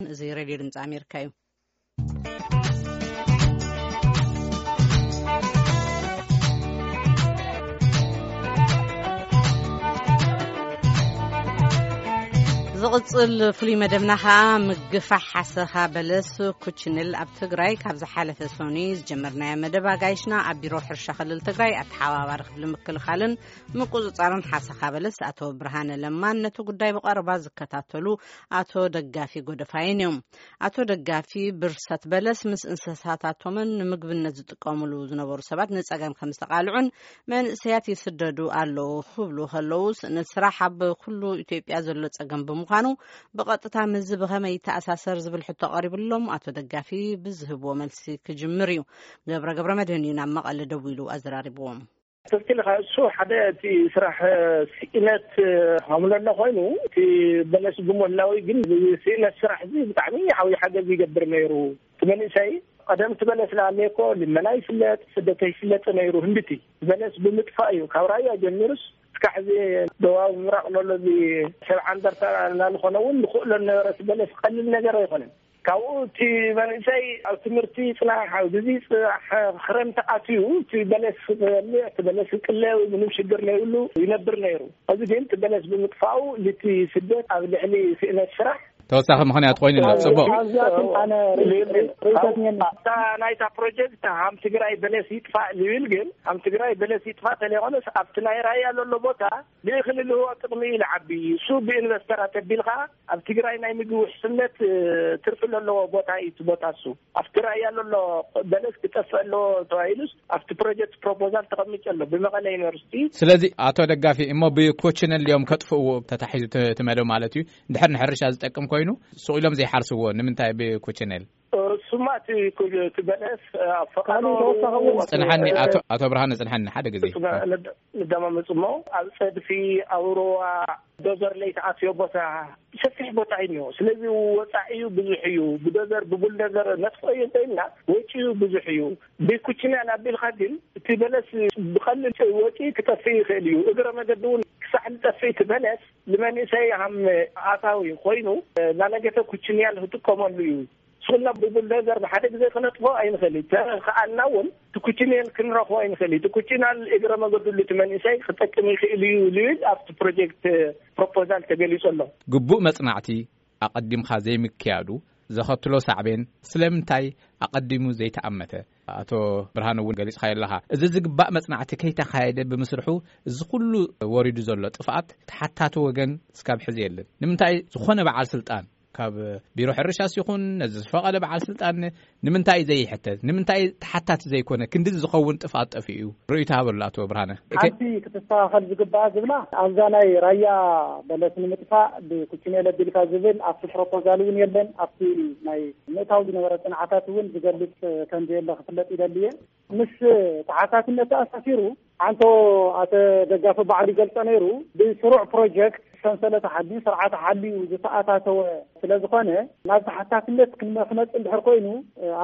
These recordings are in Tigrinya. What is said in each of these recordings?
እዚ ሬድዮ ድምፂ ኣሜሪካ እዩ። ዝቕጽል ፍሉይ መደብና ኸኣ ምግፋሕ ሓሰኻ በለስ ኩችንል ኣብ ትግራይ። ካብ ዝሓለፈ ሰኑይ ዝጀመርናዮ መደብ ኣጋይሽና ኣብ ቢሮ ሕርሻ ክልል ትግራይ ኣተሓባባሪ ክፍሊ ምክልኻልን ምቁጽጻርን ሓሰኻ በለስ ኣቶ ብርሃነ ለማን ነቲ ጉዳይ ብቐረባ ዝከታተሉ ኣቶ ደጋፊ ጎደፋይን እዮም። ኣቶ ደጋፊ ብርሰት በለስ ምስ እንስሳታቶምን ንምግብነት ዝጥቀሙሉ ዝነበሩ ሰባት ንጸገም ከም ዝተቓልዑን መንእሰያት ይስደዱ ኣለዉ ክብሉ ከለዉ፣ ስእነት ስራሕ ኣብ ኩሉ ኢትዮጵያ ዘሎ ጸገም ብምዃኑ ብቐጥታ ምስዚ ብኸመይ ይተኣሳሰር ዝብል ሕቶ ቀሪብሎም ኣቶ ደጋፊ ብዝህብዎ መልሲ ክጅምር እዩ። ገብረ ገብረ መድህን እዩ ናብ መቐለ ደዊሉ ኣዘራሪብዎም። ትክክል ኢኻ። እሱ ሓደ እቲ ስራሕ ስእነት ሃምለሎ ኮይኑ፣ እቲ በለስ ብምህላዊ ግን ስእነት ስራሕ እዚ ብጣዕሚ ዓብዪ ሓገዝ ይገብር ነይሩ። እቲ መንእሰይ ቀደም እቲ በለስ ንኣለየ እኮ ልመና ይፍለጥ፣ ስደት ይፍለጥ ነይሩ። ህንድቲ በለስ ብምጥፋእ እዩ ካብ ራያ ጀሚሩስ እስካዕ እዚ ደቡባዊ ምብራቕ ለሎ እዚ ሰብ ዓንደርታ እናልኾነ እውን ንኽእሎ ነበረ። እቲ በለስ ቀሊል ነገር ኣይኮነን። ካብኡ እቲ መንእሰይ ኣብ ትምህርቲ ይጽናሕ፣ ኣብ ግዜ ይጽናሕ፣ ክረምቲ ኣትዩ እቲ በለስ ክበልዕ፣ እቲ በለስ ክቅለ ምንም ሽግር ዘይብሉ ይነብር ነይሩ። ሕዚ ግን እቲ በለስ ብምጥፋኡ ልቲ ስደት ኣብ ልዕሊ ስእነት ስራሕ ተወሳኺ ምኽንያት ኮይኑ ኣሎ። ጽቡቕ። ኣብዚኣ ግን ኣነ ርእይቶት እኔኒ። ኣብታ ናይታ ፕሮጀክት ሃም ትግራይ በለስ ይጥፋእ ዝብል ግን፣ ሃም ትግራይ በለስ ይጥፋእ ተለይኮነስ ኣብቲ ናይ ራያ ዘሎ ቦታ ብእኽሊ ልህቦ ጥቕሚ እዩ ዝዓቢ። እሱ ብኢንቨስተራት ኣቢልካ ኣብ ትግራይ ናይ ምግቢ ውሕስነት፣ እ፣ ትርፊ ዘለዎ ቦታ እዩ እቲ ቦታ እሱ። ኣብቲ ራያ ዘሎ በለስ ክጠፍእ ኣለዎ ተባሂሉስ ኣብቲ ፕሮጀክት ፕሮፖዛል ተቐሚጡ ኣሎ ብመቐለ ዩኒቨርሲቲ። ስለዚ ኣቶ ደጋፊ፣ እሞ ብኮችነል እዮም ከጥፍእዎ ተታሒዙ ት-፣ ትመደብ ማለት እዩ። እንድሕር ንሕርሻ ዝጠቅም ኮይኑ ሱቕ ኢሎም ዘይሓርስዎ ንምንታይ ብኮችነል? እሱማ እቲ ኩ-፣ እቲ በለስ ኣብ ፈቐዶ ካልእ ተወሳኺ እውን ጽንሓኒ፣ ኣቶ፣ ኣቶ ብርሃነ፣ ጽንሓኒ ሓደ ግዜ። እሱ ጋ-፣ ንድ-፣ ንደማመጽ እሞ ኣብ ጸድፊ፣ ኣብ ሩባ፣ ዶዘር ለይተኣትዮ ቦታ ሰፊሕ ቦታ እዩ እኒኦ። ስለዚ ወጻኢኡ ብዙሕ እዩ። ብዶዘር ብቡልደዘር ነጥፎ እዩ እንተኢልና ወጪኡ ብዙሕ እዩ። ብኩችንያል ኣቢልካ ግን እቲ በለስ ብቐሊል ወጪ ክጠፍእ ይኽእል እዩ። እግረ መገዲ እውን ክሳዕ ዝጠፍእ እቲ በለስ ንመንእሰይ ሃም ኣታዊ ኮይኑ ናነገተ ኩችንያል ክጥቀመሉ እዩ። ስኹልና ብቡልደዘር ብሓደ ግዜ ክነጥፎ ኣይንኽእል እዩ። ተኸኣልና እውን እቲ ኩችንያል ክንረኽቦ ኣይንኽእል እዩ። እቲ ኩችንያል እግረ መገድሉ እቲ መንእሰይ ክጠቅም ይኽእል እዩ ዝብል ኣብቲ ፕሮጀክት ፕሮፖዛል ተገሊጹ ኣሎ። ግቡእ መጽናዕቲ ኣቐዲምካ ዘይምክያዱ ዘኸትሎ ሳዕቤን ስለምንታይ ኣቐዲሙ ዘይተኣመተ? ኣቶ ብርሃኑ እውን ገሊጽካዮ ኣለኻ። እዚ ዝግባእ መጽናዕቲ ከይተኻየደ ብምስርሑ እዚ ኩሉ ወሪዱ ዘሎ ጥፍኣት ተሓታቲ ወገን እስካብ ሕዚ የለን። ንምንታይ ዝኾነ በዓል ስልጣን ካብ ቢሮ ሕርሻስ ይኹን ነዚ ዝፈቐደ በዓል ስልጣን ንምንታይ እዩ ዘይሕተት? ንምንታይ ተሓታቲ ዘይኮነ? ክንዲ ዝኸውን ጥፍኣት ጠፊኡ እዩ። ርእይቶ ሃበሉ ኣቶ ብርሃነ። ሓንቲ ክትስተኻኸል ዝግባኣ ዝብላ ኣብዛ ናይ ራያ በለስ ንምጥፋእ ብኩችኔል ኣቢልካ ዝብል ኣብቲ ፕሮፖዛል እውን የለን። ኣብቲ ናይ ምእታው ዝነበረ ጽንዓታት እውን ዝገልጽ ከም ዘየለ ክፍለጥ ይደሊ እየ። ምስ ተሓታትነት ተኣሳሲሩ ኣንቶ ኣተ ደጋፊ ባዕሉ ይገልጾ ነይሩ። ብስሩዕ ፕሮጀክት ሰንሰለት ሓልዩ ስርዓት ሓልዩ ዝተኣታተወ ስለ ዝኾነ ናብ ተሓታትነት ክመ-፣ ክመጽእ እንድሕር ኮይኑ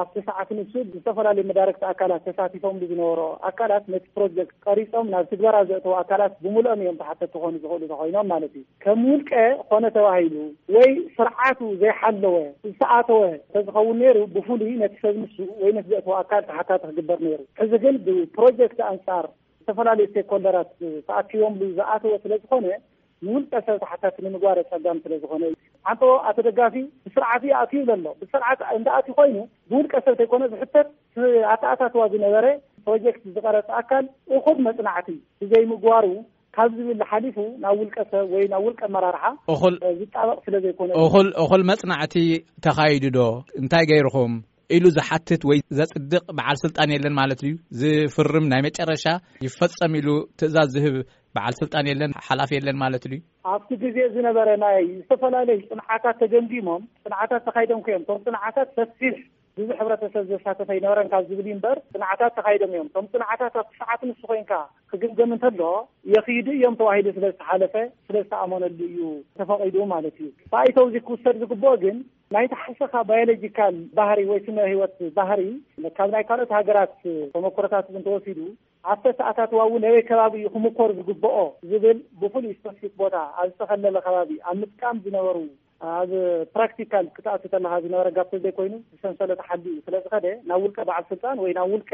ኣብቲ ሰዓት ንሱ ብዝተፈላለዩ መዳረግቲ ኣካላት ተሳቲፎም ዝነበሩ ኣካላት ነቲ ፕሮጀክት ቀሪጾም ናብ ትግበራ ዘእተዉ ኣካላት ብምሉኦም እዮም ተሓተቲ ክኾኑ ዝኽእሉ ተኾይኖም ማለት እዩ። ከም ውልቀ ኮነ ተባሂሉ ወይ ስርዓቱ ዘይሓለወ ዝተኣተወ ተዝኸውን ነይሩ ብፍሉይ ነቲ ሰብ ንሱ ወይ ነቲ ዘእተወ ኣካል ተሓታቲ ክግበር ነይሩ። ሕዚ ግን ብፕሮጀክት ኣንጻር ዝተፈላለዩ ስቴክሆልደራት ተኣኪቦምሉ ዝኣተወ ስለ ዝኾነ ንውልቀ ሰብ ተሓታቲ ንምግባር ኣጸጋሚ ስለ ዝኾነ እዩ። ሓንቶ ኣቶ ደጋፊ ብስርዓት እዩ ኣትዩ ዘሎ። ብስርዓት እንዳ ኣትዩ ኮይኑ ብውልቀ ሰብ ተይኮነ ዝሕተት ኣተኣታትዋ ዝነበረ ፕሮጀክት ዝቐረጸ ኣካል እኹል መጽናዕቲ ብዘይምግባሩ ካብ ዝብል ሓሊፉ ናብ ውልቀ ሰብ ወይ ናብ ውልቀ ኣመራርሓ እኹል ዝጣበቕ ስለ ዘይኮነ እዩ። እኹል፣ እኹል መጽናዕቲ ተኻይዱ ዶ? እንታይ ገይርኹም? ኢሉ ዝሓትት ወይ ዘጽድቕ በዓል ስልጣን የለን ማለት ድዩ? ዝፍርም ናይ መጨረሻ ይፈጸም ኢሉ ትእዛዝ ዝህብ በዓል ስልጣን የለን፣ ሓላፊ የለን ማለት ድዩ? ኣብቲ ግዜ ዝነበረ ናይ ዝተፈላለዩ ጽንዓታት ተገምጊሞም፣ ጽንዓታት ተኻይዶም ከዮም። እቶም ጽንዓታት ሰፊሕ ብዙሕ ሕብረተሰብ ዘሳተፈ ኣይነበረን ካብ ዝብል እዩ እምበር፣ ጽንዓታት ተኻይዶም እዮም። እቶም ጽንዓታት ኣብቲ ሰዓት ንሱ ኮይንካ ክግምገም እንተሎ፣ የኽይዱ እዮም ተባሂሉ ስለ ዝተሓለፈ፣ ስለ ዝተኣመነሉ እዩ ተፈቒዱ ማለት እዩ። ፋይተው እዚ ክውሰድ ዝግብኦ ግን፣ ናይቲ ሓሰኻ ባዮሎጂካል ባህሪ ወይ ስነ ህይወት ባህሪ ካብ ናይ ካልኦት ሃገራት ተመክሮታት እውን ተወሲዱ፣ ኣብቲ ኣተኣታትዋ እውን ኣበይ ከባቢ እዩ ክምኮር ዝግብኦ ዝብል ብፍሉይ ስፐሲፊክ ቦታ ኣብ ዝተኸለለ ከባቢ ኣብ ምጥቃም ዝነበሩ ኣብ ፕራክቲካል ክትኣቱ ከለኻ ዝነበረ ጋፕ ዘይኮይኑ፣ ብሰንሰለት ሓዲ እዩ ስለ ዝኸደ፣ ናብ ውልቀ በዓል ስልጣን ወይ ናብ ውልቀ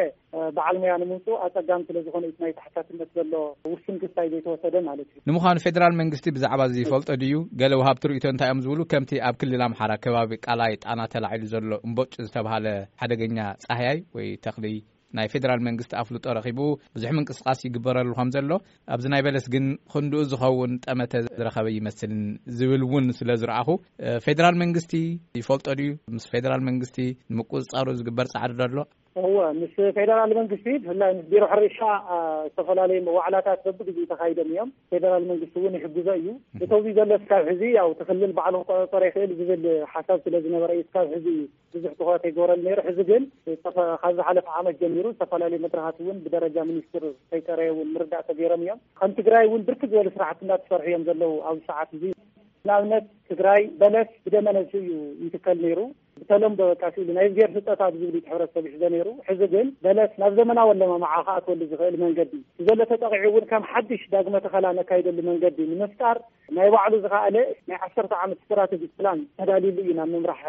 በዓል ሞያ ንምምፅኡ ኣፀጋሚ ስለ ዝኾነ እዩ ናይ ተሓታትነት ዘሎ ውሱን ክስታይ ዘይተወሰደ ማለት እዩ። ንምዃኑ ፌደራል መንግስቲ ብዛዕባ እዚ ይፈልጦ ድዩ? ገለ ወሃብቲ ርእይቶ እንታይ እዮም ዝብሉ? ከምቲ ኣብ ክልል ኣምሓራ ከባቢ ቃላይ ጣና ተላዒሉ ዘሎ እምቦጭ ዝተባሃለ ሓደገኛ ጻህያይ ወይ ተኽሊ ናይ ፌደራል መንግስቲ ኣፍልጦ ረኺቡ ብዙሕ ምንቅስቃስ ይግበረሉ ከም ዘሎ፣ ኣብዚ ናይ በለስ ግን ክንድኡ ዝኸውን ጠመተ ዝረኸበ ይመስልን ዝብል እውን ስለ ዝረኣኹ፣ እ፣ ፌደራል መንግስቲ ይፈልጦ ድዩ? ምስ ፌደራል መንግስቲ ንምቁፅፃሩ ዝግበር ፃዕሪ ዶ ኣሎ? እወ፣ ምስ ፌደራል መንግስቲ፣ ብፍላይ ምስ ቢሮ ሕርሻ፣ እ፣ ዝተፈላለዩ መዋዕላታት በብግዜኡ ተኻይዶም እዮም። ፌደራል መንግስቲ እውን ይሕግዞ እዩ። እቶም ዘሎ እስካብ ሕዚ፣ ያው፣ እቲ ክልል ባዕሉ ክቆፃፀሮ ይኽእል ዝብል ሓሳብ ስለ ዝነበረ እዩ እስካብ ሕዚ ብዙሕ ትኹረት ኣይገበረሉ ነይሩ። ሕዚ ግን ጸፈ-፣ ካብ ዝሓለፈ ዓመት ጀሚሩ ዝተፈላለዩ መድረኻት እውን ብደረጃ ሚኒስትር ከይጠረየ እውን ምርዳእ ተገይሮም እዮም። ከም ትግራይ እውን ብርክት ዝበሉ ስራሕቲ እናተሰርሑ እዮም ዘለዉ ኣብዚ ሰዓት እዚ። ንኣብነት ትግራይ በለስ ብደመ ነፍሲ እዩ ይትከል ነይሩ። ብተለምዶ በቃ ስኢሉ ናይ እግዜር ስጦታ ብዝብል እዩ ሕብረተሰብ ይሕዞ ነይሩ። ሕዚ ግን በለስ ናብ ዘመናዊ ኣለማምዓ ክኣትወሉ ዝኽእል መንገዲ ብዘሎ ተጠቒዑ እውን ከም ሓድሽ ዳግመ ተኸላ ነካይደሉ መንገዲ ንምፍጣር ናይ ባዕሉ ዝኸኣለ ናይ ዓሰርተ ዓመት ስትራተጂ ፕላን ተዳልዩሉ እዩ ናብ ምምራሕ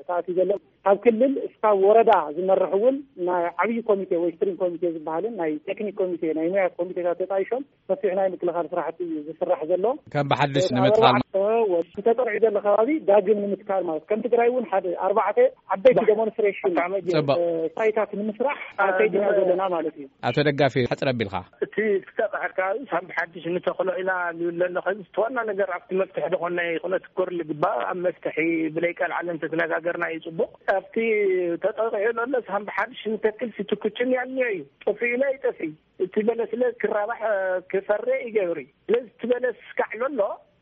ተኣትዩ ዘሎ። ካብ ክልል እስካብ ወረዳ ዝመርሕ እውን ናይ ዓብዪ ኮሚቴ ወይ ስትሪንግ ኮሚቴ ዝበሃልን ናይ ቴክኒክ ኮሚቴ፣ ናይ ሙያ ኮሚቴታት ተጣይሾም ሰፊሕ ናይ ምክልኻል ስራሕቲ እዩ ዝስራሕ ዘሎ። ከም ብሓድሽ ኣብ ንምትኻል ኣርባዕተ ወ-፣ ዝተጠርዑ ዘሎ ከባቢ ዳግም ንምትካል ማለት ከም ትግራይ እውን ሓደ ኣርባዕተ ዓበይቲ ዴሞንስትሬሽን፣ ጽቡቕ። እ፣ ሳይታት ንምስራሕ ኣብ ከይዲ ኢና ዘለና ማለት እዩ። ኣቶ ደጋፊ፣ ሕጽር ኣቢልካ። እቲ ዝተጠርዐ ከባቢ ሳም ብሓድሽ ንተኽሎ ኢና ንብል ኣለኹ። እቲ ዋና ነገር ኣብቲ መፍትሒ ዝኾነ ይኹን ክኮር ዝግባእ ኣብ መፍትሒ ብለይ ቃል ዓለም ተተነጋገርና እዩ ጽቡቕ። ኣብቲ ተጠቂዑ ዘሎ ሳም ብሓድሽ ንተክል ሲ ትኩችን ያልዮ እዩ። ጠፊኡ ኢለ ይጠፊ። እቲ በለስ ለ ክራባሕ፣ እ፣ ክፈሪ ይገብሪ። ስለዚ እቲ በለስ ካዕሎ ኣሎ፣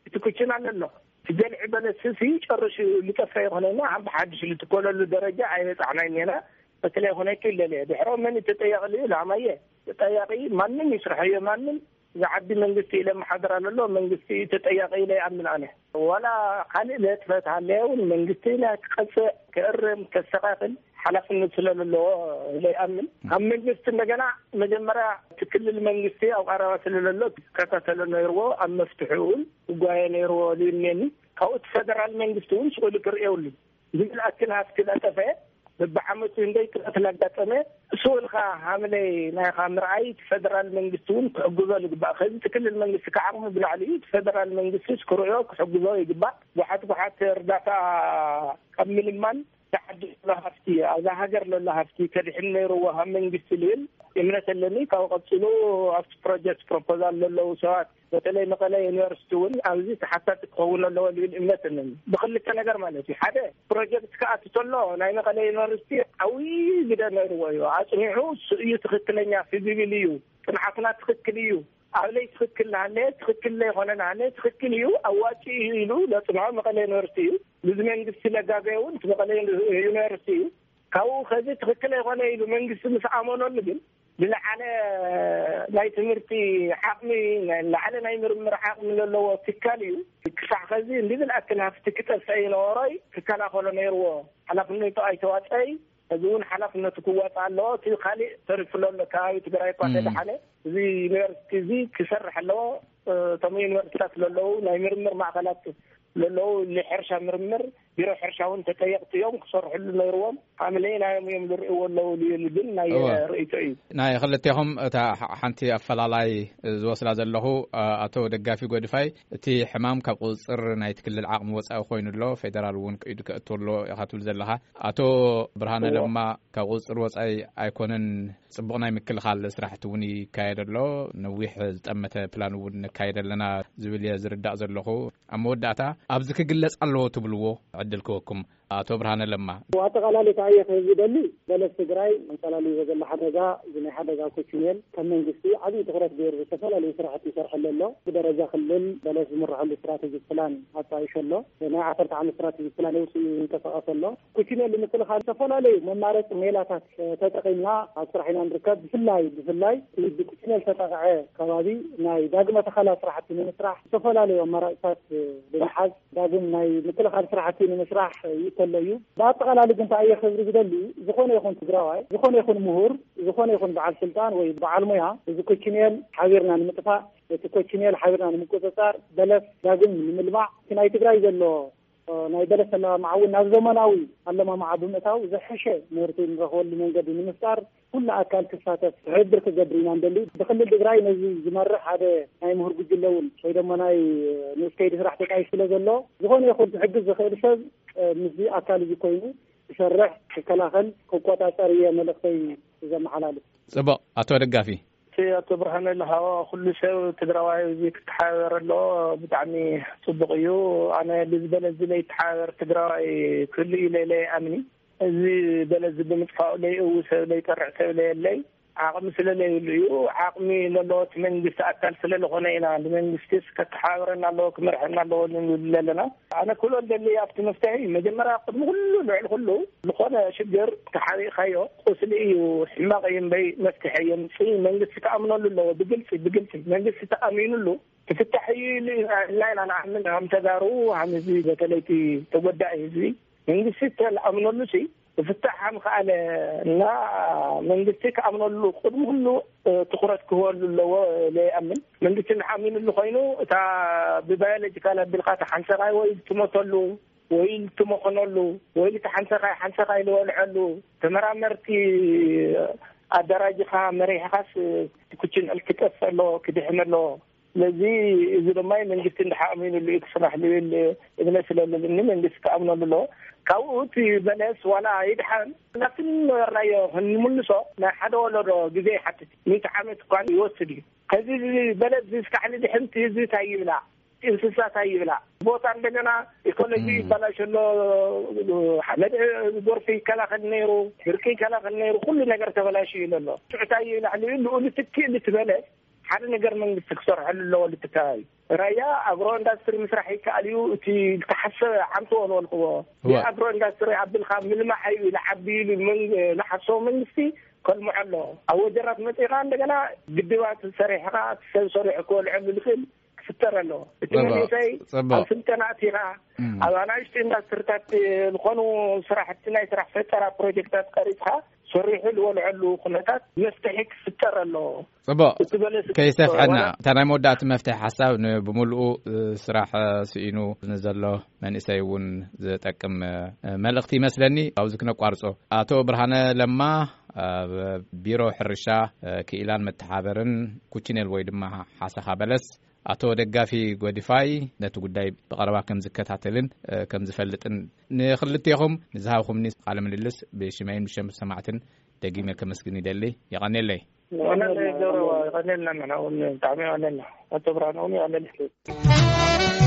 እቲ ኩችን ኣሎ ኣሎ። እቲ ገልዒ በለስ ሲ ጨርሹ ልጠፈ ይኾነና፣ ኣብ ሓድሽ ልትኮለሉ ደረጃ ኣይበጻሕናይ ኔና። በተለይ ኾነ ክለለ ድሕሮ መን ተጠያቂ ልዩ ላማየ ተጠያቂ ማንም ይስርሐዮ ማንም ዝዓቢ መንግስቲ ኢለ መሓደር ኣለሎ መንግስቲ ተጠያቂ ኢለ ይኣምን ኣነ። ዋላ ካልእ ለጥፈት ሃለየ እውን መንግስቲ ናይ ክቀጽዕ፣ ክእርም፣ ከስተኻኽል ሓላፍነት ስለ ዘለዎ ኢለ ይኣምን። ኣብ መንግስቲ እንደገና መጀመርያ እቲ ክልል መንግስቲ ኣብ ቀረባ ስለ ዘሎ ክከታተሎ ነይርዎ፣ ኣብ መፍትሒ እውን ክጓየ ነይርዎ ዝብል እኒአኒ። ካብኡ እቲ ፈደራል መንግስቲ እውን ስእሉ ክርእየውሉ ዝብል ኣክል ሃፍቲ እናጠፈአ በብዓመቱ እንደይ ክለት እናጋጠመ እሱ ኢልካ ሃምለይ ናይኻ ምርኣይ እቲ ፈደራል መንግስቲ እውን ክሕግዞ ዝግባእ። ከዚ እቲ ክልል መንግስቲ ከዓቕሙ ብላዕሊ እዩ። እቲ ፈደራል መንግስቲ ክርእዮ ክሕግዞ ይግባእ። ጓሓት ጓሓት እርዳታ ካብ ምልማን ተዓዲ ዘሎ ሃፍቲ፣ ኣብዛ ሃገር ዘሎ ሃፍቲ ከድሕን ነይርዎ ሃብ መንግስቲ ልብል እምነት ኣለኒ። ካብኡ ቀጺሉ ኣብቲ ፕሮጀክት ፕሮፖዛል ዘለዉ ሰባት በተለይ መቐለ ዩኒቨርሲቲ እውን ኣብዚ ተሓታቲ ክኸውን ኣለዎ ዝብል እምነት ኣለኒ። ብክልተ ነገር ማለት እዩ። ሓደ ፕሮጀክት ክኣቱ ከሎ ናይ መቐለ ዩኒቨርሲቲ ዓብዪ ግደ ነይርዎ እዩ። ኣጽኒዑ እሱ እዩ ትኽክለኛ ፊዚብል እዩ፣ ጥንዓትና ትኽክል እዩ፣ ኣብለይ ትኽክል ናሃለ ትኽክል ለይኮነ ናሃለ ትኽክል እዩ ኣዋጭ እዩ ኢሉ ለጽንዖ መቐለ ዩኒቨርሲቲ እዩ። ብዚ መንግስቲ ለጋገ እውን እቲ መቐለ ዩኒቨርሲቲ እዩ። ካብኡ ከዚ ትኽክል ኣይኮነ ኢሉ መንግስቲ ምስ ኣመነሉ ግን ዝለዓለ ናይ ትምህርቲ ዓቕሚ፣ ዝለዓለ ናይ ምርምር ዓቕሚ ዘለዎ ትካል እዩ። ክሳዕ ከዚ እንዲ ዝለኣክል ሃፍቲ ክጠፍአ ይነበሮይ ክከላኸሎ ነይርዎ። ሓላፍነቱ ኣይተዋፀይ። እዚ እውን ሓላፍነቱ ክዋፃእ ኣለዎ። እቲ ካሊእ ተሪፉ ዘሎ ከባቢ ትግራይ እኳ እም። ተደሓነ እዚ ዩኒቨርሲቲ እዚ ክሰርሕ ኣለዎ። እቶም ዩኒቨርሲቲታት ዘለዉ ናይ ምርምር ማእኸላት ዘለዉ ንሕርሻ ምርምር ቢሮ ሕርሻ እውን ተጠየቕቲ እዮም ክሰርሕሉ ነይርዎም። ሃምለይ ናዮም እዮም ዝርእይዎ ኣለዉ ዝብል ግን ናይ እወ። ርእይቶ እዩ። ናይ ክልቴኹም እታ ሓ-፣ ሓንቲ ኣፈላላይ ዝወስዳ ዘለኹ፣ ኣ-፣ ኣቶ ደጋፊ ጎድፋይ፣ እቲ ሕማም ካብ ቁፅፅር ናይቲ ክልል ዓቕሚ ወፃኢ ኮይኑ ኣሎ፣ ፌደራል እውን ከኢዱ ከእቱ ኣሎ ኢኻ ትብል ዘለኻ። ኣቶ ብርሃነ እወ። ለማ፣ ካብ ቁፅፅር ወፃኢ ኣይኮነን፣ ፅቡቕ ናይ ምክልኻል ስራሕቲ እውን ይካየድ ኣሎ፣ ነዊሕ ዝጠመተ ፕላን እውን ነካየድ ኣለና ዝብል እየ ዝርዳእ ዘለኹ። ኣብ መወዳእታ፣ ኣብዚ ክግለፅ ኣለዎ ትብልዎ ዕድል ክወኩም። ኣቶ ብርሃነ ለማ። ኣጠቓላሊ ከኣ እየ ክህብ ዝደሊ፣ በለስ ትግራይ ኣንጸላልይዎ ዘሎ ሓደጋ፣ እዚ ናይ ሓደጋ ኮችኔል ከም መንግስቲ ዓብዪ ትኹረት ገይሩ ዝተፈላለዩ ስራሕቲ ይሰርሐሉ ኣሎ። ብደረጃ ክልል በለስ ዝምርሐሉ ስትራተጂ ፕላን ኣጣይሹ ኣሎ። ናይ ዓሰርተ ዓመት ስትራተጂ ፕላን የውፅኡ ይንቀሳቐስ ኣሎ። ኮችኔል ንምክልኻል ዝተፈላለዩ መማረፂ ሜላታት ተጠቒምና ኣብ ስራሕ ኢና ንርከብ። ብፍላይ፣ ብፍላይ እቲ ብኮችኔል ተጠቕዐ ከባቢ ናይ ዳግመ ተኸላ ስራሕቲ ንምስራሕ ዝተፈላለዩ ኣማራፅታት ብምሓዝ ዳግም ናይ ምክልኻል ስራሕቲ ንምስራሕ ይእከሎ እዩ። ብኣጠቓላሊ ግን እንታይ እየ ክብል ዝደሊ፣ ዝኾነ ይኹን ትግራዋይ፣ ዝኾነ ይኹን ምሁር፣ ዝኾነ ይኹን በዓል ስልጣን ወይ በዓል ሞያ፣ እዚ ኮችኔል ሓቢርና ንምጥፋእ፣ እቲ ኮችኔል ሓቢርና ንምቁፅፃር፣ በለስ ዳግም ንምልማዕ፣ እቲ ናይ ትግራይ ዘሎ ናይ በለስ ኣለማምዓ እውን ናብ ዘመናዊ ኣለማምዓ ብምእታው ዝሐሸ ምህርቲ ንረኽበሉ መንገዲ ንምፍጣር ኩሉ ኣካል ክሳተፍ ትሕብር ክገብር ኢና ንደሊ። ብክልል ትግራይ ነዚ ዝመርሕ ሓደ ናይ ምሁር ጉጅለ እውን ወይ ድማ ናይ ንኡስ ከይዲ ስራሕ ተጣይሽ ስለ ዘሎ ዝኾነ ይኹን ክሕግዝ ዝኽእል ሰብ ምስዚ ኣካል እዚ ኮይኑ ክሰርሕ፣ ክከላኸል፣ ክቆጻጸር እየ መልእኽተይ ዘመሓላልፍ። ጽቡቕ። ኣቶ ደጋፊ። እቲ ኣቶ ብርሃነ ለሃዋ ኩሉ ሰብ ትግራዋይ እዚ ክተሓባበር ኣለዎ። ብጣዕሚ ጽቡቕ እዩ። ኣነ ብዝበለ እዚ ለይተሓባበር ትግራዋይ ክህሉ እዩ ለይለ ኣምኒ። እዚ በለ እዚ ብምጥፋኡ ለይእው ሰብ ለይጠርዕ ሰብ ለየለይ ዓቕሚ ስለ ለይብሉ እዩ። ዓቕሚ ለለዎ እቲ መንግስቲ ኣካል ስለ ለኾነ ኢና ንመንግስቲስ ከተሓባብረና ኣለዎ ክመርሐና ኣለዎ ንብል ኣለና። ኣነ ክብሎ እንደሊ ኣብቲ መፍትሒ መጀመርያ ቅድሚ ኩሉ ልዕሊ ኩሉ ዝኾነ ሽግር ተሓቢእካዮ ቁስሊ እዩ፣ ሕማቕ እዩ እምበይ መፍትሒ የምፅእ። መንግስቲ ክኣምነሉ ኣለዎ። ብግልፂ ብግልፂ መንግስቲ ተኣሚኑሉ ክፍታሕ እዩ ኢሉ ኢና ኢልና ኢና ንኣምን። ከም ተጋሩ፣ ከም ህዝቢ፣ በተለይ እቲ ተጎዳኢ ህዝቢ መንግስቲ ተኣምነሉ ሲ ክፍታሕ ከም ከኣለ እና መንግስቲ ክኣምነሉ ቅድሚ ኩሉ ትኩረት ክህበሉ ኣለዎ ኢለ ይኣምን። መንግስቲ እንድሓሚኑሉ ኮይኑ እታ ብባዮሎጂካል ኣቢልካ እታ ሓንሰኻይ ወይ ትሞተሉ ወይ ትመኸነሉ ወይ እቲ ሓንሰኻይ ሓንሰኻይ ዝበልዐሉ ተመራመርቲ ኣደራጅኻ መሪሕኻስ ኩችን ዕል ክጠፍእ ኣለዎ ክድሕን ኣለዎ። ስለዚ እዚ ድማ መንግስቲ እንድሓሚኑሉ እዩ ክስራሕ ዝብል እምነት ስለለኒ መንግስቲ ክኣምነሉ ኣለዎ። ካብኡ እቲ በለስ ዋላ ይድሓን ናብቲ ነበርናዮ ክንምልሶ ናይ ሓደ ወለዶ ግዜ ይሓትት። ሚእቲ ዓመት እኳ ይወስድ እዩ። ከዚ በለስ ዝስካሕሊ ድሕንቲ ህዝቢ እንታይ ይብላ? እንስሳት ይብላ። ቦታ እንደገና ኢኮሎጂ ይባላሽ ኣሎ። ሓመድ ጎርፊ ይከላኸል ነይሩ፣ ድርቂ ይከላኸል ነይሩ፣ ኩሉ ነገር ተበላሽ እዩ ኣሎ። ሽዑታይ ይብላ ልኡሉ ትክእል ትበለ ሓደ ነገር መንግስቲ ክሰርሐሉ ኣለዎ። ልትከባቢ ራያ ኣግሮ ኢንዳስትሪ ምስራሕ ይከኣል እዩ። እቲ ዝተሓሰበ ዓምትዎ ዝበልክዎ ኣግሮ ኢንዳስትሪ ኣቢልካ ምልማሕ እዩ ኢሉ ዓቢ ኢሉ ንሓሰቦ መንግስቲ ከልምዖ ኣሎ። ኣብ ወጀራት መፂኻ እንደገና ግድባት ሰሪሕኻ ሰብ ሰሪሑ ክበልዐሉ ዝኽእል ክፍጠር ኣለዎ። እቲ መንእሰይ ኣብ ስልጠና ኣቲኻ ኣብ ኣናእሽቱ ኢንዳስትሪታት ዝኾኑ ስራሕቲ ናይ ስራሕ ፈጠራ ፕሮጀክታት ቀሪፅካ ሰሪሑ ዝበልዐሉ ኩነታት መፍትሒ ክፍጠር ኣለዎ። ጽቡቕ። እቲ በለስ ከይሰፍሐና ዋላ እታ ናይ መወዳእቲ መፍትሒ ሓሳብ ን- ብምልኡ ስራሕ ስኢኑ ንዘሎ መንእሰይ እውን ዝጠቅም መልእኽቲ ይመስለኒ። ኣብዚ ክነቋርጾ። ኣቶ ብርሃነ ለማ ኣብ ቢሮ ሕርሻ ክኢላን መተሓበርን ኩችኔል ወይ ድማ ሓሰኻ በለስ ኣቶ ደጋፊ ጎዲፋይ ነቲ ጉዳይ ብቐረባ ከም ዝከታተልን ከም ዝፈልጥን ንክልቴኹም ንዝሃብኩምኒ ቃለ ምልልስ ብሽመይን ብሸም ሰማዕትን ደጊመ ከመስግን ይደሊ። የቐኔለይ። የቐኔለይ ገብረዋ፣ የቐኔልና ንሕና እውን ብጣዕሚ የቐኔልና። ኣቶ ብርሃነ እውን የቐኔልና።